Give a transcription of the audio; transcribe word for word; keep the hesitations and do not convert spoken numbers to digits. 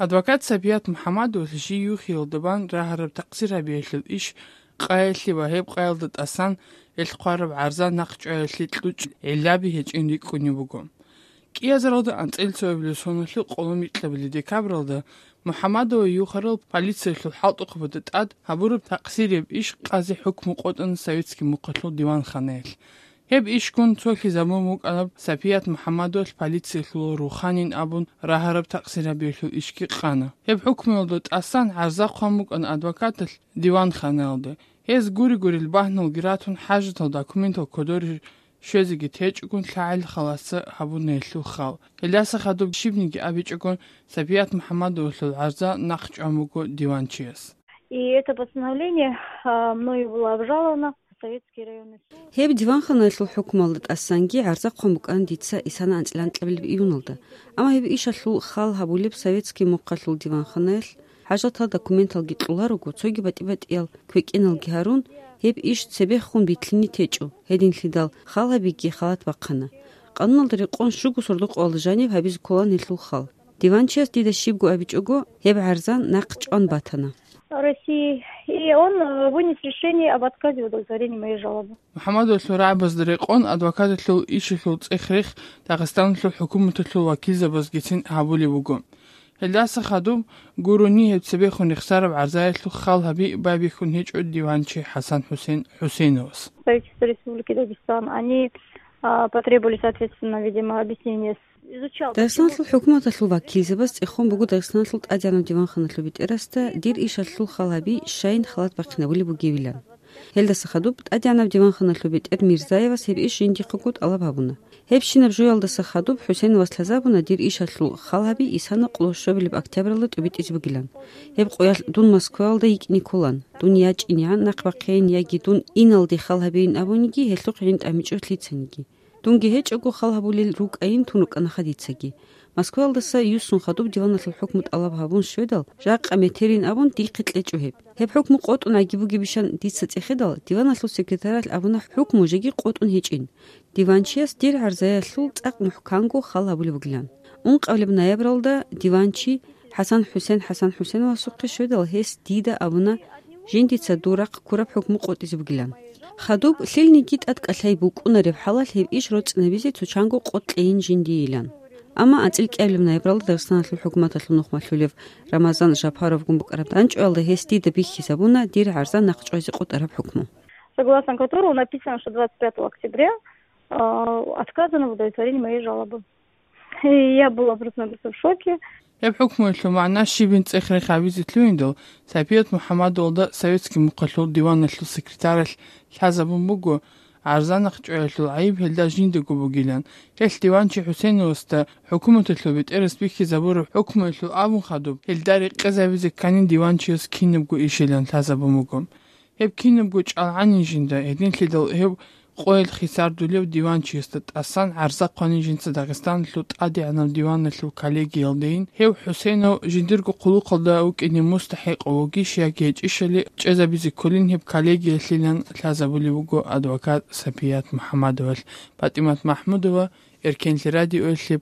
Адвокат Сапият МухӀаммадовалъ жий юхиялда бан рагьараб такъсир гьабиялъул иш къаялъе ва гьеб къаялда тӀасан гьелъ хъвараб гӀарза нахъчӀваялъе кьучӀ гӀиллаби гьечӀин рикӀкӀунеб буго. КӀиазаралда анцӀила цоабилеб соналъул къоло микьабилеб декабралда МухӀаммадова юхарал полициялъул хӀалтӀухъабазда тӀад гьабураб такъсирияб иш къазе хӀукму къотӀана советский мухъалъул диванханаялъ. Гьеб ишгун цолъизабун букӀана Сапият МухӀаммадовалъ полициялъул руханин абун рагьараб такъсир гьабиялъул ишги къана. Гьеб хӀукмуялда тӀасан гӀарза хъван букӀана адвокаталъ диванханаялда. Гьез гури-гурел багьналги ратун, хӀажатал документал кодоре щвезеги течӀогун лъагӀел халаца гьабуна гьелъул хал. Гьелдаса хадуб щибниги абичӀогун, Сапият МухӀаммадовалъул гӀарза нахъчӀван буго диванчияс. И это постановление, а, мною было обжаловано в Советский районный суд. Гьеб диванханаялъул хӀукмуялда тӀасанги гӀарза хъван букӀана дица исана анцӀила анкьабилеб июналда. Амма гьеб ишалъул хал гьабулеб советский мухъалъул диванханаялъ хӀажатал документалги кьоларого, цоги батӀи-батӀиял квекӀиналги гьарун, гьеб иш цебехун битлъине течӀо, гьединлъидал хал гьабиги халат бахъана. Къануналда рекъон щуго сордо-къоялда жаниб гьабизе кколаан гьелъул хал. Диванчияс дида щибго абичӀого, гьеб гӀарза нахъ чӀван батана. России, и он, э, вынес решение об отказе в удовлетворении моей жалобы. МухӀаммадовалъул рагӀабазда рекъон адвокаталъул ишалъул цӀех-рех Дагъистаналъул хӀукуматалъул вакилзабазгицин гьабулеб буго. Гьелдаса хадуб гурони гьеб цебехун рехсараб гӀарзаялъул хал гьаби байбихьун гьечӀо диванчи ХӀасан-ХӀусен ХӀусеновас. Правительство Республики Дагестан, они, а, потребовали, соответственно, видимо, объяснение. Изучал, Дагъистаналъул почему хӀукуматалъул вакилзабаз цӀехон буго Дагъистаналъул тӀадегӀанаб диванханалъул бетӀерасда дир ишалъул хал гьаби щайин халат бахъинабулеб бугевилан. Гьелдаса хадуб тӀадегӀанаб диванханалъул бетӀер Мирзаевас гьеб иш жиндихъего тӀалаб гьабуна. Гьебщинаб жоялдаса хадуб ХӀусеновас лъазабуна дир ишалъул хал гьаби исана къолошобилеб октябралда тӀубитӀизе бугилан. Гьеб къоялъ дун Москваялда йикӀине кколан, дун ячӀинегӀан нахъ бахъейин яги дун иналде хал гьабейин абуниги гьелъухъ гӀин тӀамичӀо лъицаниги. Дунги гьечӀого хал гьабулел рукӀайин тун рукӀана хадицаги. Москваялдаса юссун хадуб диваналъул хӀукму тӀалаб гьабун щведал, жакъа метерин абун дихъе кьечӀо гьеб. Гьеб хӀукму къотӀун аги бугебищан дица цӀехедал, диваналъул секретаралъ абуна хӀукму жеги къотӀун гьечӀин. Диванчияс дир гӀарзаялъул цӀакъ мухӀканго хал гьабулеб бугилан. Ункъабилеб ноябралда диванчи ХӀасан-ХӀусен ХӀасан-ХӀусеновасухъе щведал, гьес дида абуна, жиндица дур рахъ ккураб хӀукму къотӀизе бугилан. Хадуб лъилниги тӀадкӀалъай букӀунареб хӀалалъ гьеб иш роцӀцӀинабизе цо чанго къотӀ кьейин жиндийилан. Амма анцӀила кӀиабилеб ноябралда Дагъистаналъул хӀукуматалъул нухмалъулев Рамазан Жапаровгун букӀараб данчӀваялда гьес дида бихьизабуна дир гӀарза нахъ чӀвазе къотӀараб хӀукму. Согласно которому написано, что двадцать пятого октября, а, отказано в удовлетворении моей жалобы. И я была просто-напросто в шоке. Гьеб хӀукмуялъул магӀна щибин цӀех-рех гьабизе лъугьиндал, Сапият МухӀаммадовалда советский мухъалъул диваналъул секретаралъ лъазабун буго, гӀарза нахъ чӀваялъул гӀайиб гьелда жиндаго бугилан. Гьелъ диванчи ХӀусеновасда хӀукуматалъул бетӀерас бихьизабураб хӀукмуялъул абун хадуб, гьелда рекъезабизе кканин диванчияс кинабго ишилан лъазабун буго. Гьеб кинабго чӀалгӀанин жинда, гьединлъидал гьев къоялъ хисардулев диванчиясда тӀасан гӀарза хъванин жинца Дагъистаналъул тӀадегӀанаб диваналъул коллегиялдейин, гьев ХӀусенов жиндирго хъулухъалда вукӀине мустахӀикъав вугищ яги гьечӀищали чӀезабизе кколин гьеб коллегиялъилан лъазабулеб буго адвокат Сапият МухӀаммадовалъ. ПатӀимат МахӀмудова, Эркенлъи радиоялъе,